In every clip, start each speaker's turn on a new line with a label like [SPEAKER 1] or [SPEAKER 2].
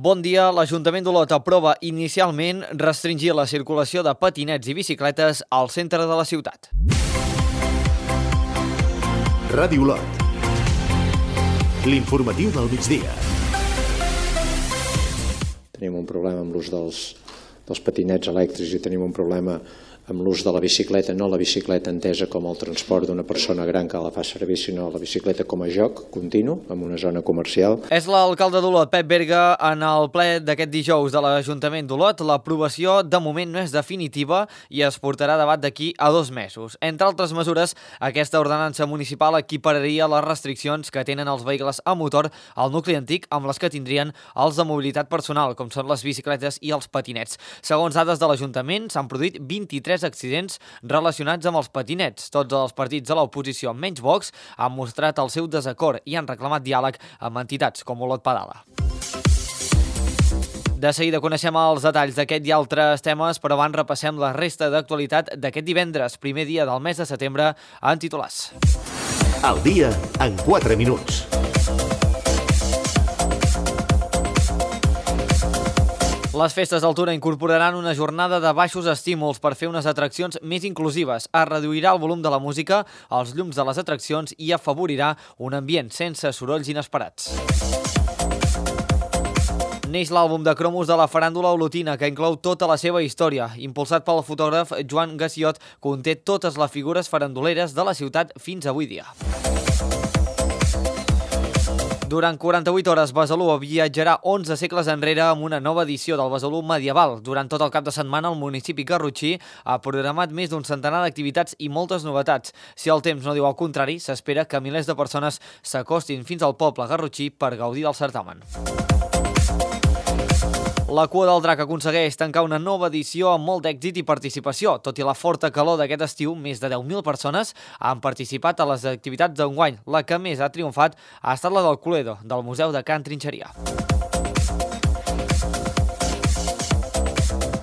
[SPEAKER 1] Bon dia. L'Ajuntament d'Olot aprova inicialment restringir la circulació de patinets i bicicletes al centre de la ciutat.
[SPEAKER 2] Ràdio Olot. L'informatiu del migdia.
[SPEAKER 3] Tenim un problema amb l'ús dels patinets elèctrics i tenim un problema amb l'ús de la bicicleta, no la bicicleta entesa com el transport d'una persona gran que la fa servir, sinó la bicicleta com a joc continu en una zona comercial.
[SPEAKER 1] És l'alcalde d'Olot, Pep Berga, en el ple d'aquest dijous de l'Ajuntament d'Olot. L'aprovació de moment no és definitiva i es portarà a debat d'aquí a 2 mesos. Entre altres mesures, aquesta ordenança municipal equipararia les restriccions que tenen els vehicles a motor al nucli antic amb les que tindrien els de mobilitat personal, com són les bicicletes i els patinets. Segons dades de l'Ajuntament, s'han produït 23 accidents relacionats amb els patinets. Tots els partits de l'oposició, menys Vox, han mostrat el seu desacord i han reclamat diàleg amb entitats com Olot Pedala. De seguida coneixem els detalls d'aquest i altres temes, però abans repassem la resta d'actualitat d'aquest divendres, primer dia del mes de setembre, en titulars.
[SPEAKER 2] El dia en 4 minuts.
[SPEAKER 1] Les festes d'Altura incorporaran una jornada de baixos estímuls per fer unes atraccions més inclusives. Es reduirà el volum de la música, els llums de les atraccions i afavorirà un ambient sense sorolls inesperats. Neix l'àlbum de cromos de la faràndula olotina, que inclou tota la seva història. Impulsat pel fotògraf Joan Gassiot, conté totes les figures faranduleres de la ciutat fins avui dia. Durant 48 hores, Besalú viatjarà 11 segles enrere amb una nova edició del Besalú medieval. Durant tot el cap de setmana, el municipi garrotxí ha programat més d'un centenar d'activitats i moltes novetats. Si el temps no diu el contrari, s'espera que milers de persones s'acostin fins al poble garrotxí per gaudir del certamen. La Cua del Drac aconsegueix tancar una nova edició amb molt d'èxit i participació. Tot i la forta calor d'aquest estiu, més de 10.000 persones han participat a les activitats d'enguany. La que més ha triomfat ha estat la del Cluedo, del Museu de Can Trinxeria.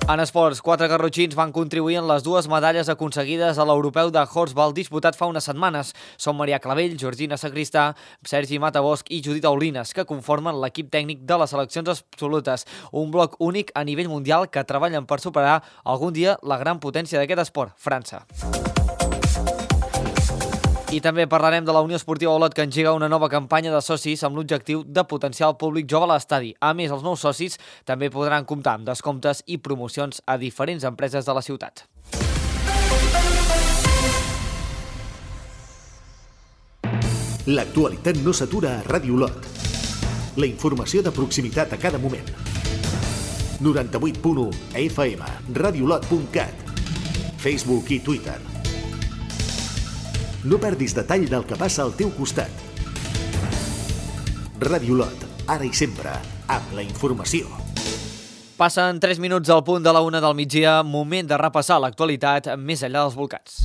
[SPEAKER 1] En esports, 4 garrotxins van contribuir en les 2 medalles aconseguides a l'Europeu de Horsball disputat fa unes setmanes. Són Maria Clavell, Georgina Sagristà, Sergi Matabosch i Judit Aulines, que conformen l'equip tècnic de les seleccions absolutes. Un bloc únic a nivell mundial que treballen per superar algun dia la gran potència d'aquest esport, França. I també parlarem de la Unió Esportiva Olot, que engega una nova campanya de socis amb l'objectiu de potenciar el públic jove a l'estadi. A més, els nous socis també podran comptar amb descomptes i promocions a diferents empreses de la ciutat.
[SPEAKER 2] L'actualitat no s'atura a Ràdio Olot. La informació de proximitat a cada moment. 98.1 FM, radiolot.cat, Facebook i Twitter. No perdis detall del que passa al teu costat. Ràdio Olot, ara i sempre, amb la informació.
[SPEAKER 1] Passen 3 minuts al punt de la 1 del migdia, moment de repassar l'actualitat més enllà dels volcans.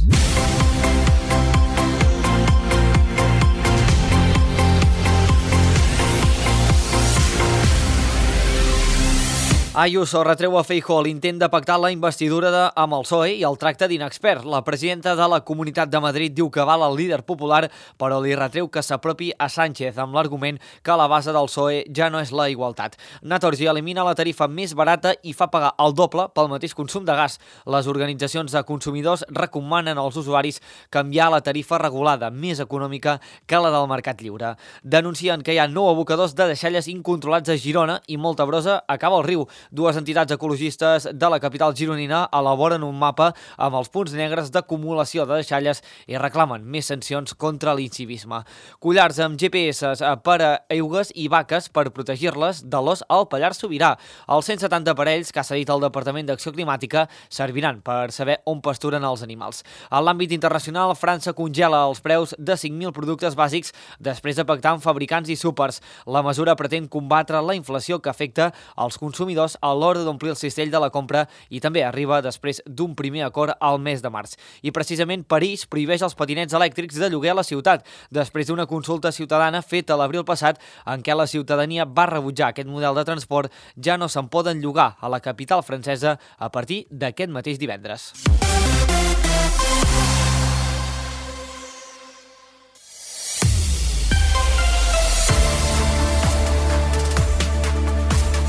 [SPEAKER 1] Ayuso retreu a Feijóo l'intent de pactar la investidura amb el PSOE i el tracte d'inexpert. La presidenta de la Comunitat de Madrid diu que val el líder popular, però li retreu que s'apropi a Sánchez amb l'argument que la base del PSOE ja no és la igualtat. Naturgy elimina la tarifa més barata i fa pagar el doble pel mateix consum de gas. Les organitzacions de consumidors recomanen als usuaris canviar la tarifa regulada, més econòmica que la del mercat lliure. Denuncien que hi ha 9 abocadors de deixalles incontrolats a Girona i molta brossa acaba al riu. 2 entitats ecologistes de la capital gironina elaboren un mapa amb els punts negres d'acumulació de deixalles i reclamen més sancions contra l'incivisme. Collars amb GPS per a eugues i vaques per protegir-les de l'os al Pallars Sobirà. Els 170 aparells que ha cedit el Departament d'Acció Climàtica serviran per saber on pasturen els animals. En l'àmbit internacional, França congela els preus de 5.000 productes bàsics després de pactar amb fabricants i súpers. La mesura pretén combatre la inflació que afecta als consumidors a l'hora d'omplir el cistell de la compra i també arriba després d'un primer acord al mes de març. I precisament París prohibeix els patinets elèctrics de lloguer a la ciutat, després d'una consulta ciutadana feta l'abril passat en què la ciutadania va rebutjar aquest model de transport. Ja no se'n poden llogar a la capital francesa a partir d'aquest mateix divendres.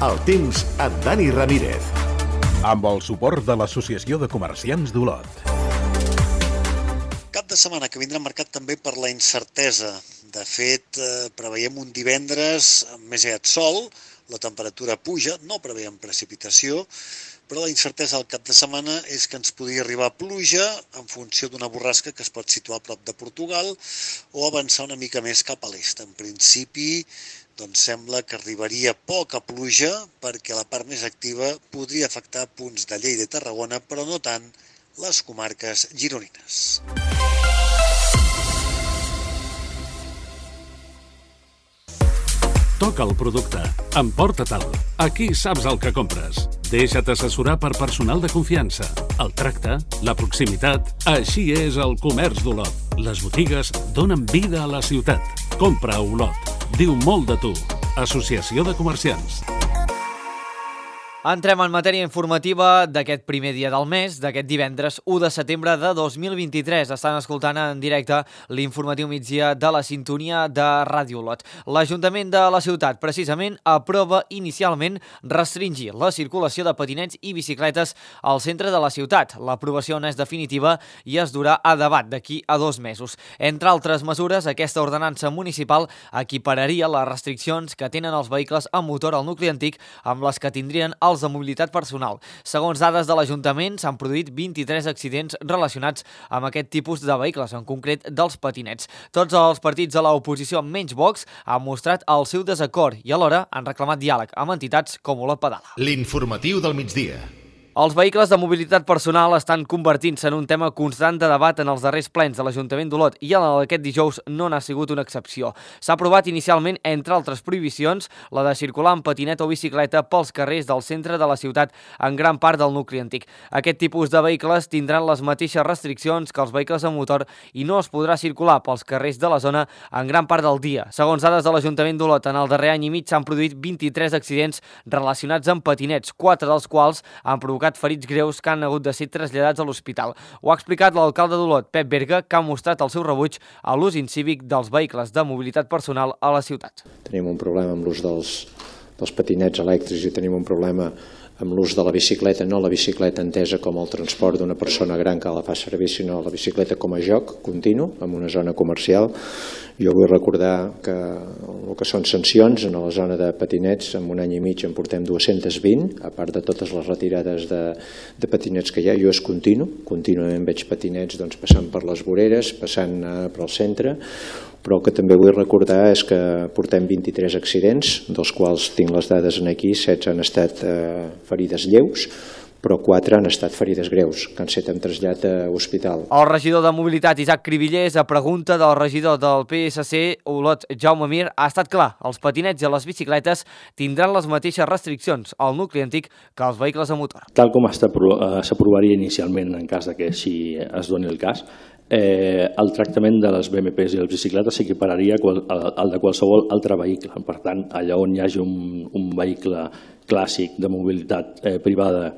[SPEAKER 2] El temps amb Dani Ramírez.
[SPEAKER 4] Amb el suport de l'Associació de Comerciants d'Olot.
[SPEAKER 5] Cap de setmana que vindrà marcat també per la incertesa. De fet, preveiem un divendres amb més aviat sol, la temperatura puja, no preveiem precipitació, però la incertesa al cap de setmana és que ens podria arribar pluja en funció d'una borrasca que es pot situar a prop de Portugal o avançar una mica més cap a l'est. En principi, doncs sembla que arribaria poca pluja perquè la part més activa podria afectar punts de Lleida i Tarragona, però no tant les comarques gironines.
[SPEAKER 6] Toca el producte. Emporta-te'l. Aquí saps el que compres. Deixa't assessorar per personal de confiança. El tracte, la proximitat... Així és el comerç d'Olot. Les botigues donen vida a la ciutat. Compra a Olot. Diu molt de tu. Associació de Comerciants.
[SPEAKER 1] Entrem en matèria informativa d'aquest primer dia del mes, d'aquest divendres 1 de setembre de 2023. Estan escoltant en directe l'informatiu migdia de la sintonia de Ràdio Olot. L'Ajuntament de la ciutat, precisament, aprova inicialment restringir la circulació de patinets i bicicletes al centre de la ciutat. L'aprovació no és definitiva i es durà a debat d'aquí a 2 mesos. Entre altres mesures, aquesta ordenança municipal equipararia les restriccions que tenen els vehicles amb motor al nucli antic amb les que tindrien els de mobilitat personal. Segons dades de l'Ajuntament, s'han produït 23 accidents relacionats amb aquest tipus de vehicles, en concret dels patinets. Tots els partits de l'oposició, menys Vox, han mostrat el seu desacord i alhora han reclamat diàleg amb entitats com Olot Pedala.
[SPEAKER 2] L'informatiu del migdia.
[SPEAKER 1] Els vehicles de mobilitat personal estan convertint-se en un tema constant de debat en els darrers plens de l'Ajuntament d'Olot i aquest dijous no n'ha sigut una excepció. S'ha aprovat inicialment, entre altres prohibicions, la de circular amb patinet o bicicleta pels carrers del centre de la ciutat en gran part del nucli antic. Aquest tipus de vehicles tindran les mateixes restriccions que els vehicles amb motor i no es podrà circular pels carrers de la zona en gran part del dia. Segons dades de l'Ajuntament d'Olot, en el darrer any i mig s'han produït 23 accidents relacionats amb patinets, 4 dels quals han provocat ferits greus que han hagut de ser traslladats a l'hospital. Ho ha explicat l'alcalde d'Olot, Pep Berga, que ha mostrat el seu rebuig a l'ús incívic dels vehicles de mobilitat personal a la ciutat.
[SPEAKER 3] Tenim un problema amb l'ús dels patinets elèctrics i tenim un problema amb l'ús de la bicicleta, no la bicicleta entesa com el transport d'una persona gran que la fa servir, sinó la bicicleta com a joc continu en una zona comercial. Jo vull recordar que el que són sancions en la zona de patinets, en un any i mig en portem 220, a part de totes les retirades de patinets que hi ha. Jo és contínuament veig patinets passant per les voreres, passant pel centre, però el que també vull recordar és que portem 23 accidents, dels quals tinc les dades aquí, 16 han estat ferides lleus, però 4 han estat ferides greus, que han estat trasllat a l'hospital.
[SPEAKER 1] El regidor de Mobilitat, Isaac Cribillers, a pregunta del regidor del PSC, Olot, Jaume Mir, ha estat clar, els patinets i les bicicletes tindran les mateixes restriccions al nucli antic que els vehicles a motor.
[SPEAKER 7] Tal com s'aprovaria inicialment en cas que així es doni el cas, el tractament de les BMPs i les bicicletes s'equipararia al de qualsevol altre vehicle. Per tant, allà on hi hagi un vehicle clàssic de mobilitat privada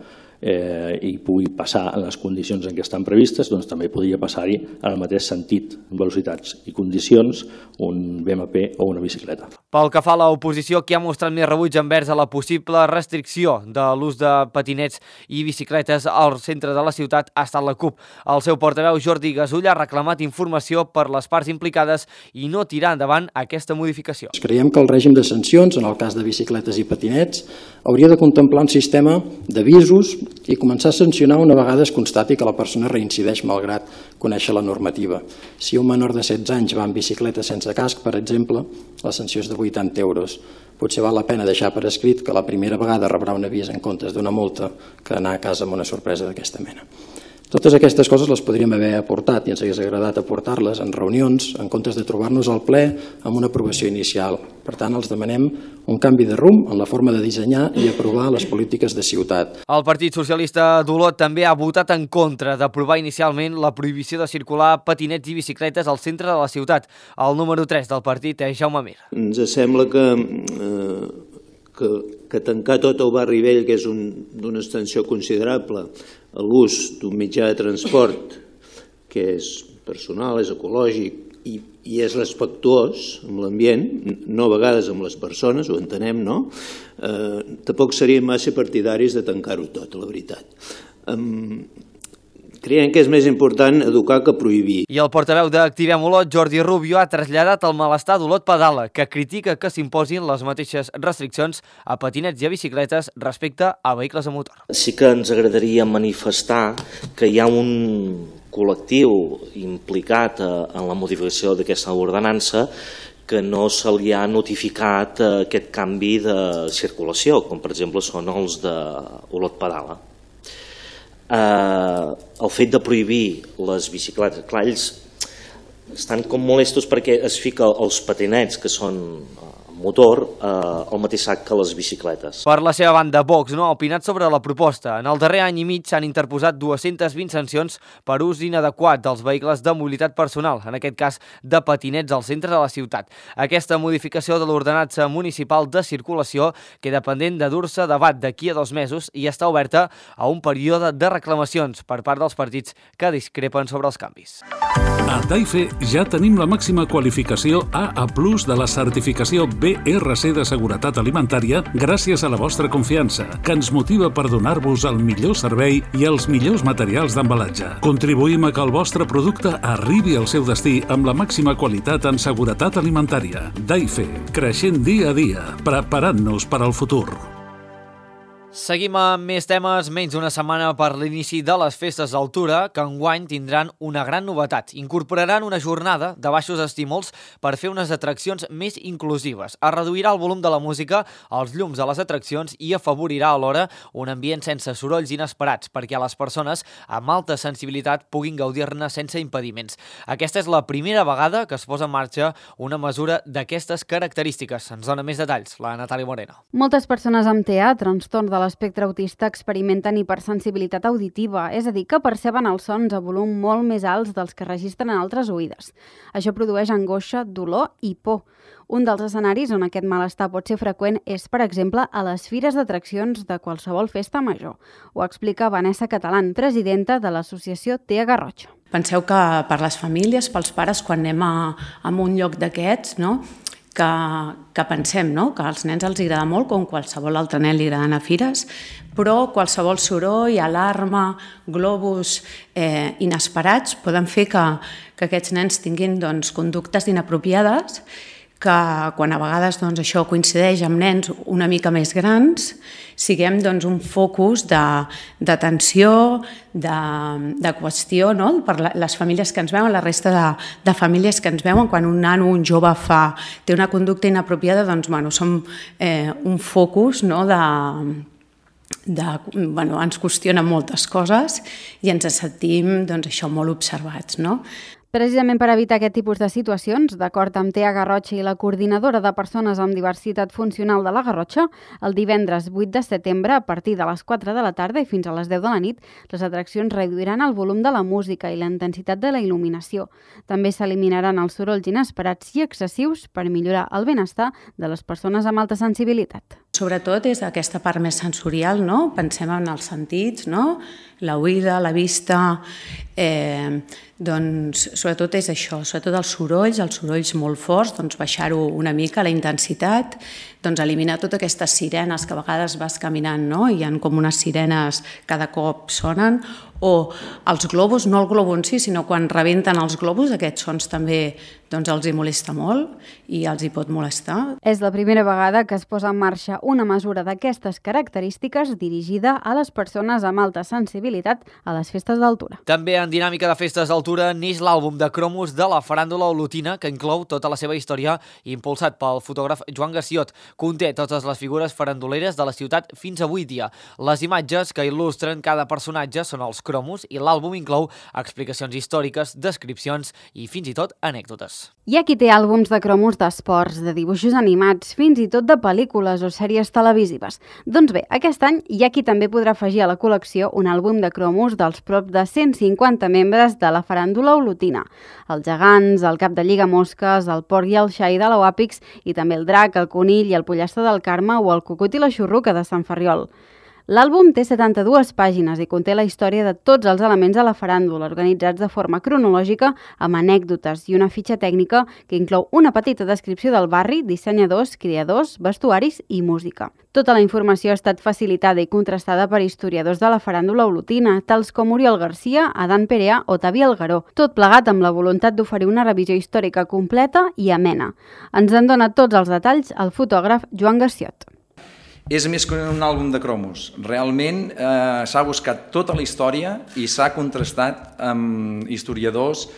[SPEAKER 7] i pugui passar en les condicions en què estan previstes, doncs també podria passar-hi en el mateix sentit, velocitats i condicions, un BMP o una bicicleta.
[SPEAKER 1] Pel que fa a l'oposició, qui ha mostrat més rebuig envers a la possible restricció de l'ús de patinets i bicicletes al centre de la ciutat ha estat la CUP. El seu portaveu, Jordi Gasull, ha reclamat informació per les parts implicades i no tirar endavant aquesta modificació.
[SPEAKER 8] Creiem que el règim de sancions, en el cas de bicicletes i patinets, hauria de contemplar un sistema d'avisos i començar a sancionar una vegada es constati que la persona reincideix malgrat conèixer la normativa. Si un menor de 16 anys va amb bicicleta sense casc, per exemple, la sanció és de 80 euros. Potser val la pena deixar per escrit que la primera vegada rebrà un avís en comptes d'una multa que anar a casa amb una sorpresa d'aquesta mena. Totes aquestes coses les podríem haver aportat i ens hagués agradat aportar-les en reunions en comptes de trobar-nos al ple amb una aprovació inicial. Per tant, els demanem un canvi de rumb en la forma de dissenyar i aprovar les polítiques de ciutat.
[SPEAKER 1] El Partit Socialista d'Olot també ha votat en contra d'aprovar inicialment la prohibició de circular patinets i bicicletes al centre de la ciutat. El número 3 del partit és Jaume Mir.
[SPEAKER 9] Ens sembla que tancar tot el barri vell, que és d'una extensió considerable, a l'ús d'un mitjà de transport que és personal, és ecològic i és respectuós amb l'ambient, no a vegades amb les persones, ho entenem, no? Tampoc seríem massa partidaris de tancar-ho tot, la veritat. Creiem que és més important educar que prohibir.
[SPEAKER 1] I el portaveu d'Activem Olot, Jordi Rubio, ha traslladat el malestar d'Olot Pedala, que critica que s'imposin les mateixes restriccions a patinets i a bicicletes respecte a vehicles a motor.
[SPEAKER 10] Sí que ens agradaria manifestar que hi ha un col·lectiu implicat en la modificació d'aquesta ordenança que no se li ha notificat aquest canvi de circulació, com per exemple són els d'Olot Pedala. El fet de prohibir les bicicletes, clar, ells estan com molestos perquè es fica els patinets que són motor al mateix sac que les bicicletes.
[SPEAKER 1] Per la seva banda, Vox no ha opinat sobre la proposta. En el darrer any i mig s'han interposat 220 sancions per ús inadequat dels vehicles de mobilitat personal, en aquest cas de patinets al centre de la ciutat. Aquesta modificació de l'ordenança municipal de circulació queda pendent de dur-se a debat d'aquí a 2 mesos i està oberta a un període de reclamacions per part dels partits que discrepen sobre els canvis.
[SPEAKER 6] A Daife ja tenim la màxima qualificació AA+ de la certificació BRC de seguretat alimentària gràcies a la vostra confiança, que ens motiva per donar-vos el millor servei i els millors materials d'embalatge. Contribuïm a que el vostre producte arribi al seu destí amb la màxima qualitat en seguretat alimentària. Daife, creixent dia a dia, preparant-nos per al futur.
[SPEAKER 1] Seguim amb més temes, menys d'una setmana per l'inici de les festes d'Altura, que enguany tindran una gran novetat. Incorporaran una jornada de baixos estímuls per fer unes atraccions més inclusives. Es reduirà el volum de la música, els llums de les atraccions i afavorirà alhora un ambient sense sorolls inesperats perquè les persones amb alta sensibilitat puguin gaudir-ne sense impediments. Aquesta és la primera vegada que es posa en marxa una mesura d'aquestes característiques. Ens dona més detalls la Natàlia Moreno.
[SPEAKER 11] Moltes persones amb TEA, trastorn de l'espectre autista, experimenten hipersensibilitat auditiva, és a dir, que perceben els sons a volum molt més alts dels que registren en altres oïdes. Això produeix angoixa, dolor i por. Un dels escenaris on aquest malestar pot ser freqüent és, per exemple, a les fires d'atraccions de qualsevol festa major. Ho explica Vanessa Catalán, presidenta de l'associació TEA Garrotxa.
[SPEAKER 12] Penseu que per les famílies, pels pares, quan anem a un lloc d'aquests, no?, que pensem, no?, que als nens els agrada molt, com qualsevol altre nen li agrada anar a fires, però qualsevol soroll, alarma, globus inesperats poden fer que aquests nens tinguin conductes inapropiades, que quan a vegades això coincideix amb nens una mica més grans, siguem un focus d'atenció, de qüestió, no?, per les famílies que ens veuen, la resta de famílies que ens veuen. Quan un nano, un jove té una conducta inapropiada, som un focus, no?, ens qüestionen moltes coses i ens sentim això molt observats, no?
[SPEAKER 11] Precisament per evitar aquest tipus de situacions, d'acord amb TEA Garrotxa i la Coordinadora de Persones amb Diversitat Funcional de la Garrotxa, el divendres 8 de setembre, a partir de les 4 de la tarda i fins a les 10 de la nit, les atraccions reduiran el volum de la música i la intensitat de la il·luminació. També s'eliminaran els sorolls inesperats i excessius per millorar el benestar de les persones amb alta sensibilitat.
[SPEAKER 12] Sobretot és aquesta part més sensorial, no? Pensem en els sentits, no? La oïda, la vista, sobretot és això, sobretot els sorolls molt forts, baixar-ho una mica, la intensitat, eliminar totes aquestes sirenes que a vegades vas caminant, no?, i hi ha com unes sirenes cada cop sonen, o els globus, no el globo en si, sinó quan rebenten els globus, aquests sons també els hi molesta molt i els hi pot molestar.
[SPEAKER 11] És la primera vegada que es posa en marxa una mesura d'aquestes característiques dirigida a les persones amb alta sensibilitat a les festes d'Altura.
[SPEAKER 1] També en dinàmica de festes d'Altura neix l'àlbum de cromos de la faràndula olotina, que inclou tota la seva història, impulsat pel fotògraf Joan Garciot. Conté totes les figures faranduleres de la ciutat fins avui dia. Les imatges que il·lustren cada personatge són els cromos i l'àlbum inclou explicacions històriques, descripcions i fins i tot anècdotes.
[SPEAKER 11] Hi ha qui té àlbums de cromos d'esports, de dibuixos animats, fins i tot de pel·lícules o sèries televisives. Doncs bé, aquest any hi ha qui també podrà afegir a la col·lecció un àlbum de cromos dels prop de 150 membres de la faràndula olotina. Els gegants, el cap de lliga mosques, el porc i el xai de l'Oàpix i també el drac, el conill i el pollastre del Carme o el cucut i la xurruca de Sant Ferriol. L'àlbum té 72 pàgines i conté la història de tots els elements de la faràndula, organitzats de forma cronològica, amb anècdotes i una fitxa tècnica que inclou una petita descripció del barri, dissenyadors, creadors, vestuaris i música. Tota la informació ha estat facilitada i contrastada per historiadors de la faràndula olotina, tals com Oriol Garcia, Adán Perea o Tavi Algaró, tot plegat amb la voluntat d'oferir una revisió històrica completa i amena. Ens en dona tots els detalls el fotògraf Joan Garciot.
[SPEAKER 13] És més que un àlbum de cromos. Realment s'ha buscat tota la història i s'ha contrastat amb historiadors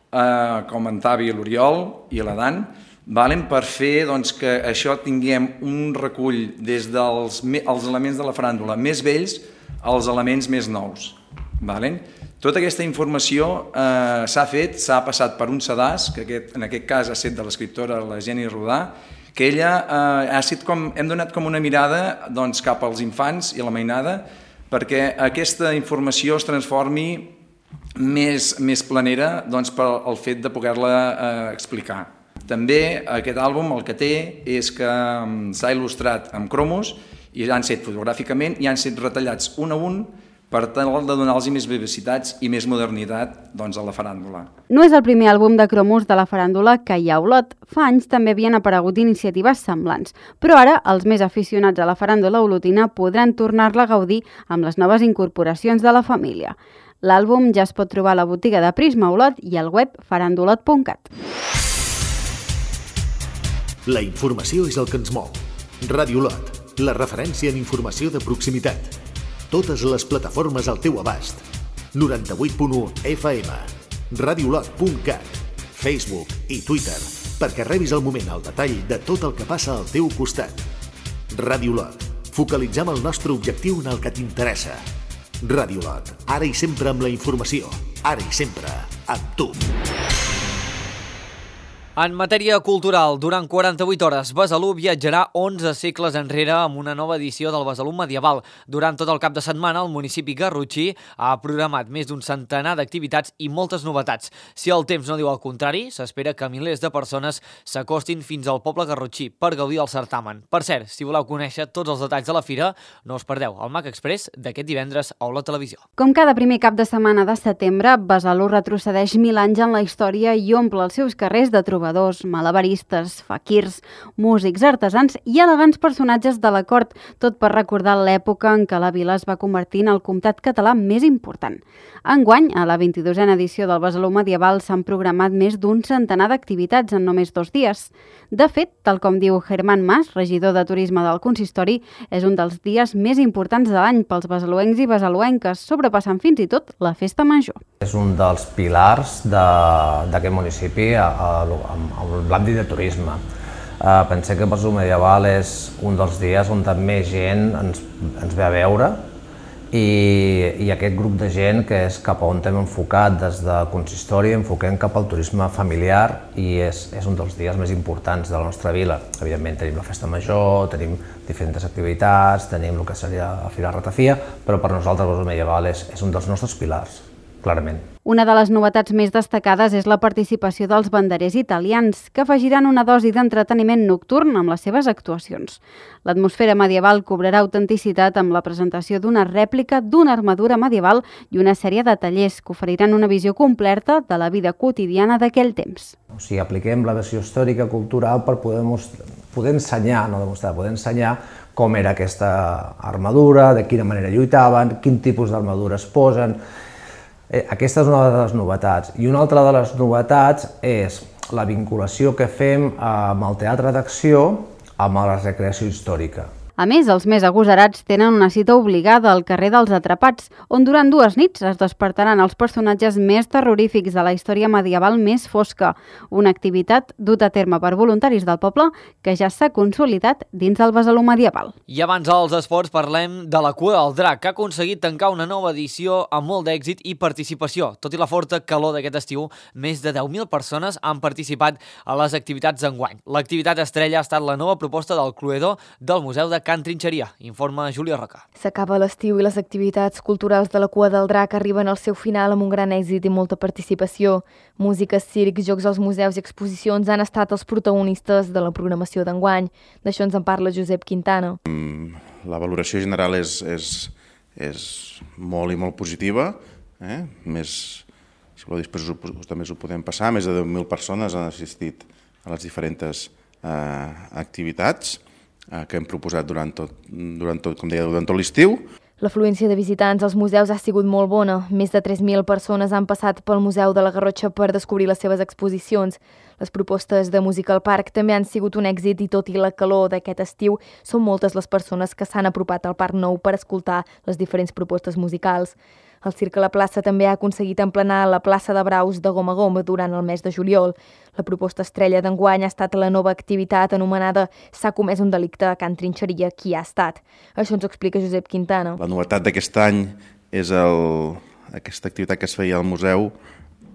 [SPEAKER 13] com en Tavi, l'Oriol i l'Adán, per fer que això tinguem un recull des dels elements de la faràndula més vells als elements més nous. Tota aquesta informació s'ha passat per un sedàs, que en aquest cas ha estat de l'escriptora la Jenny Rodà, que ella hem donat com una mirada cap als infants i a la mainada perquè aquesta informació es transformi més planera pel fet de poder-la explicar. També aquest àlbum el que té és que s'ha il·lustrat amb cromos i han estat fotogràficament i han estat retallats un a un per tal de donar-los més vivacitats i més modernitat a la faràndula.
[SPEAKER 11] No és el primer àlbum de cromos de la faràndula que hi ha a Olot. Fa anys també havien aparegut iniciatives semblants, però ara els més aficionats a la faràndula olotina podran tornar-la a gaudir amb les noves incorporacions de la família. L'àlbum ja es pot trobar a la botiga de Prisma Olot i al web farandolot.cat.
[SPEAKER 2] La informació és el que ens mou. Ràdio Olot, la referència en informació de proximitat. Totes les plataformes al teu abast. 98.1 FM, radiolot.cat, Facebook i Twitter, perquè rebis al moment el detall de tot el que passa al teu costat. Ràdio Olot, focalitzem el nostre objectiu en el que t'interessa. Ràdio Olot, ara i sempre amb la informació, ara i sempre amb tu.
[SPEAKER 1] En matèria cultural, durant 48 hores, Besalú viatjarà 11 segles enrere amb una nova edició del Besalú medieval. Durant tot el cap de setmana, el municipi garrotxí ha programat més d'un centenar d'activitats i moltes novetats. Si el temps no diu el contrari, s'espera que milers de persones s'acostin fins al poble garrotxí per gaudir del certamen. Per cert, si voleu conèixer tots els detalls de la fira, no us perdeu el Mac Express d'aquest divendres a Olot Televisió.
[SPEAKER 11] Com cada primer cap de setmana de setembre, Besalú retrocedeix 1000 anys en la història i omple els seus carrers de trobadors, malabaristes, faquirs, músics, artesans i elegants personatges de la cort, tot per recordar l'època en què la vila es va convertir en el comtat català més important. Enguany, a la 22a edició del Besalú medieval s'han programat més d'un centenar d'activitats en només 2 dies. De fet, tal com diu Germán Mas, regidor de Turisme del Consistori, és un dels dies més importants de l'any pels besaluencs i besaluenques, sobrepassant fins i tot la festa major.
[SPEAKER 14] És un dels pilars d'aquest municipi amb l'àmbit de turisme. Pensem que el Besalú medieval és un dels dies on més gent ens ve a veure i aquest grup de gent que és cap on hem enfocat des de Consistori, enfoquem cap al turisme familiar i és un dels dies més importants de la nostra vila. Evidentment tenim la festa major, tenim diferents activitats, tenim el que seria la Fira Ratafia, però per nosaltres el Besalú medieval és un dels nostres pilars, clarament.
[SPEAKER 11] Una de les novetats més destacades és la participació dels banderers italians, que afegiran una dosi d'entreteniment nocturn amb les seves actuacions. L'atmosfera medieval cobrarà autenticitat amb la presentació d'una rèplica d'una armadura medieval i una sèrie de tallers que oferiran una visió completa de la vida quotidiana d'aquell temps.
[SPEAKER 14] O sigui, apliquem la versió històrica cultural per poder ensenyar, no demostrar, poder ensenyar com era aquesta armadura, de quina manera lluitaven, quin tipus d'armadura es posen. Aquesta és una de les novetats. I una altra de les novetats és la vinculació que fem amb el teatre d'acció amb la recreació històrica.
[SPEAKER 11] A més, els més agosarats tenen una cita obligada al carrer dels Atrapats, on durant 2 nits es despertaran els personatges més terrorífics de la història medieval més fosca, una activitat duta a terme per voluntaris del poble que ja s'ha consolidat dins del Besalú medieval.
[SPEAKER 1] I abans dels esports parlem de la Cua del Drac, que ha aconseguit tancar una nova edició amb molt d'èxit i participació. Tot i la forta calor d'aquest estiu, més de 10.000 persones han participat a les activitats d'enguany. L'activitat estrella ha estat la nova proposta del Cluedo del Museu de Can Trinxeria, informa Júlia Roca.
[SPEAKER 15] S'acaba l'estiu i les activitats culturals de la Cua del Drac arriben al seu final amb un gran èxit i molta participació. Música, circ, jocs als museus i exposicions han estat els protagonistes de la programació d'enguany. D'això ens en parla Josep Quintana.
[SPEAKER 16] La valoració general és molt i molt positiva, més... Si voleu, després també us ho podem passar. Més de 10.000 persones han assistit a les diferents activitats que hem proposat durant tot l'estiu.
[SPEAKER 15] L'afluència de visitants als museus ha sigut molt bona. Més de 3.000 persones han passat pel Museu de la Garrotxa per descobrir les seves exposicions. Les propostes de música al parc també han sigut un èxit i tot i la calor d'aquest estiu, són moltes les persones que s'han apropat al Parc Nou per escoltar les diferents propostes musicals. El Circ a la plaça també ha aconseguit emplenar la plaça de braus de Gom a Gom durant el mes de juliol. La proposta estrella d'enguany ha estat la nova activitat anomenada S'ha comès un delicte a Can Trinxeria, qui ha estat. Això ens ho explica Josep Quintana.
[SPEAKER 16] La novetat d'aquest any és aquesta activitat que es feia al museu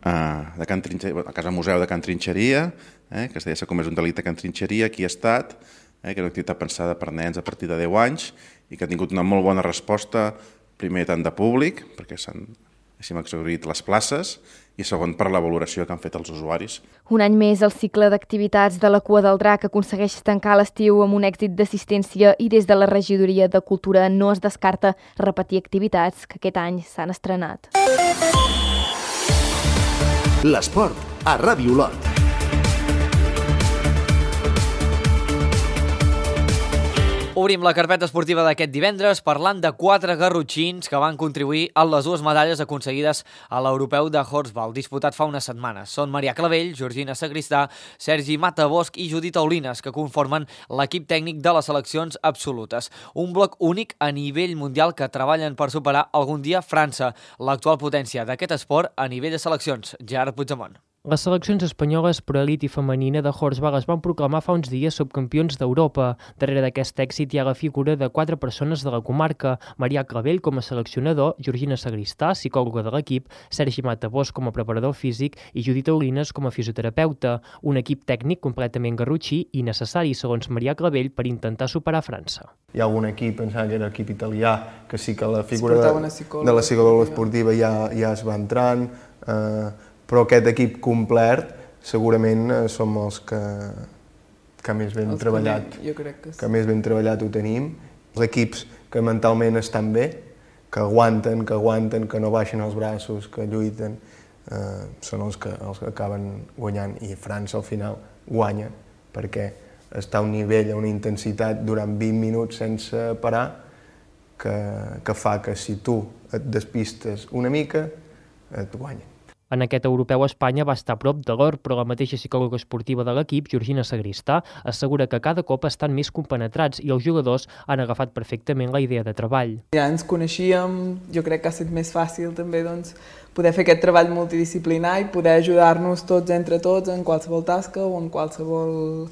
[SPEAKER 16] de Can Trinxeria, a Casa Museu de Can Trinxeria, que es deia S'ha comès un delicte a Can Trinxeria, qui ha estat, que és una activitat pensada per nens a partir de 10 anys i que ha tingut una molt bona resposta, primer tant de públic, perquè s'han exhaurit les places, i segon per la valoració que han fet els usuaris.
[SPEAKER 15] Un any més, el cicle d'activitats de la Cua del Drac aconsegueix tancar l'estiu amb un èxit d'assistència i des de la Regidoria de Cultura no es descarta repetir activitats que aquest any s'han estrenat.
[SPEAKER 2] L'esport a Ràdio Olot.
[SPEAKER 1] Obrim la carpeta esportiva d'aquest divendres parlant de 4 garrotxins que van contribuir a les 2 medalles aconseguides a l'Europeu de Horsball, disputat fa unes setmanes. Són Maria Clavell, Georgina Sagristà, Sergi Matabosch i Judit Aulines, que conformen l'equip tècnic de les seleccions absolutes. Un bloc únic a nivell mundial que treballen per superar algun dia França, l'actual potència d'aquest esport a nivell de seleccions. Gerard Puigdemont.
[SPEAKER 17] Les seleccions espanyoles per elit i femenina de Horsball es van proclamar fa uns dies subcampions d'Europa. Darrere d'aquest èxit hi ha la figura de 4 persones de la comarca: Maria Clavell com a seleccionador, Georgina Sagristà, psicòloga de l'equip, Sergi Matabosch com a preparador físic i Judit Aulines com a fisioterapeuta. Un equip tècnic completament garrotxí i necessari, segons Maria Clavell, per intentar superar França.
[SPEAKER 18] Hi ha algun equip, pensava que era l'equip italià, que sí que la figura de la psicòloga esportiva ja es va entrant, però aquest equip complet segurament som els que més ben treballat, que més ben treballat ho tenim. Els equips que mentalment estan bé, que aguanten, que no baixen els braços, que lluiten, són els que acaben guanyant. I França al final guanya perquè està a un nivell, a una intensitat durant 20 minuts sense parar que fa que si tu et despistes una mica et guanyen.
[SPEAKER 17] En aquest europeu Espanya va estar a prop de l'or, però la mateixa psicòloga esportiva de l'equip, Georgina Sagristà, assegura que cada cop estan més compenetrats i els jugadors han agafat perfectament la idea de treball.
[SPEAKER 19] Ja ens coneixíem, jo crec que ha estat més fàcil també poder fer aquest treball multidisciplinar i poder ajudar-nos tots entre tots en qualsevol tasca o en qualsevol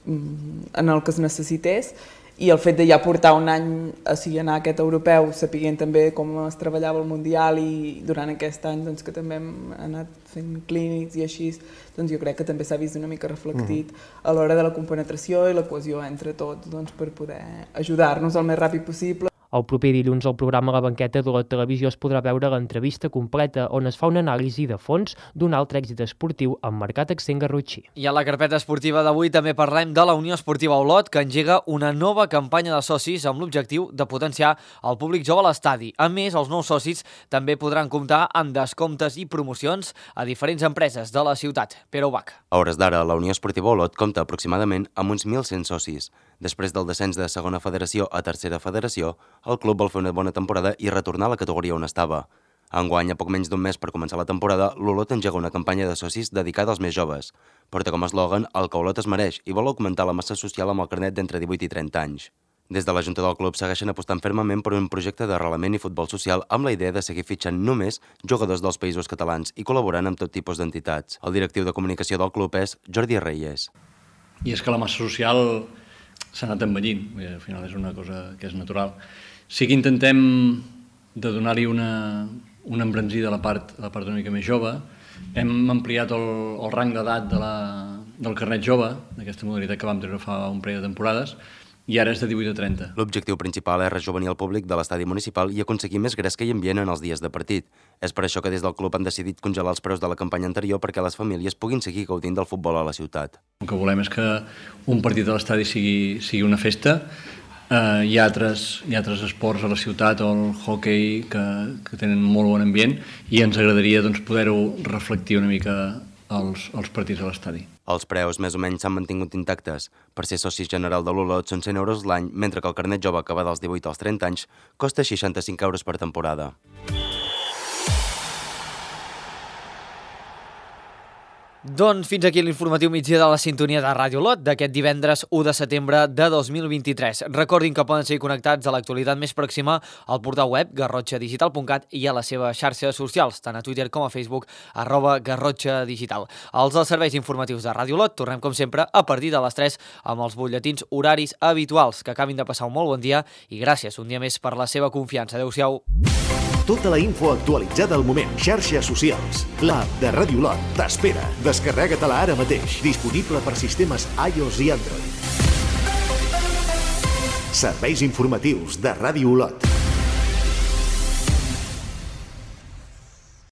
[SPEAKER 19] en el que es necessités. I el fet de ja portar un any a anar a aquest europeu, sapiguent també com es treballava el Mundial i durant aquest any que també hem anat fent clínics i així, jo crec que també s'ha vist una mica reflectit a l'hora de la compenetració i la cohesió entre tots per poder ajudar-nos el més ràpid possible.
[SPEAKER 17] El proper dilluns al programa La Banqueta de la televisió es podrà veure l'entrevista completa on es fa una anàlisi de fons d'un altre èxit esportiu amb marcat accent garrotxí.
[SPEAKER 1] I a la carpeta esportiva d'avui també parlem de la Unió Esportiva Olot, que engega una nova campanya de socis amb l'objectiu de potenciar el públic jove a l'estadi. A més, els nous socis també podran comptar amb descomptes i promocions a diferents empreses de la ciutat. Pere Ubach.
[SPEAKER 20] A hores d'ara, la Unió Esportiva Olot compta aproximadament amb uns 1.100 socis. Després del descens de segona federació a tercera federació, el club vol fer una bona temporada i retornar a la categoria on estava. Enguany, a poc menys d'un mes per començar la temporada, l'Olot engega una campanya de socis dedicada als més joves. Porta com a eslògan el que Olot es mereix i vol augmentar la massa social amb el carnet d'entre 18 i 30 anys. Des de la Junta del club segueixen apostant fermament per un projecte d'arrelament i futbol social amb la idea de seguir fitxant només jugadors dels països catalans i col·laborant amb tot tipus d'entitats. El directiu de comunicació del club és Jordi Reyes.
[SPEAKER 21] I és que la massa social s'ha anat envellint, al final és una cosa que és natural. Sí que intentem de donar-hi una embranzida a la part una mica més jove. Hem ampliat el rang d'edat del carnet jove, d'aquesta modalitat que vam treure fa un parell de temporades, i ara és de 18 a 30.
[SPEAKER 20] L'objectiu principal és rejovenir el públic de l'estadi municipal i aconseguir més gresca i ambient en els dies de partit. És per això que des del club han decidit congelar els preus de la campanya anterior perquè les famílies puguin seguir gaudint del futbol a la ciutat.
[SPEAKER 21] El que volem és que un partit a l'estadi sigui una festa. Hi ha altres esports a la ciutat, o el hockey, que tenen molt bon ambient, i ens agradaria poder-ho reflectir una mica als partits a l'estadi.
[SPEAKER 20] Els preus més o menys s'han mantingut intactes. Per ser soci general de l'Olot són 100 euros l'any, mentre que el carnet jove que va dels 18 als 30 anys costa 65 euros per temporada.
[SPEAKER 1] Doncs fins aquí l'informatiu migdia de la sintonia de Ràdio Olot d'aquest divendres 1 de setembre de 2023. Recordin que poden seguir connectats a l'actualitat més pròxima al portal web garrotxadigital.cat i a les seves xarxes socials, tant a Twitter com a Facebook, @garrotxadigital. Els serveis informatius de Ràdio Olot tornem com sempre a partir de les 3 amb els butlletins horaris habituals. Que acabin de passar un molt bon dia i gràcies un dia més per la seva confiança. Adéu-siau.
[SPEAKER 2] Tota la info actualitzada al moment. Xarxes socials. L'app de Ràdio Olot t'espera. Descarrega-te-la ara mateix. Disponible per sistemes iOS i Android. Serveis informatius de Ràdio Olot.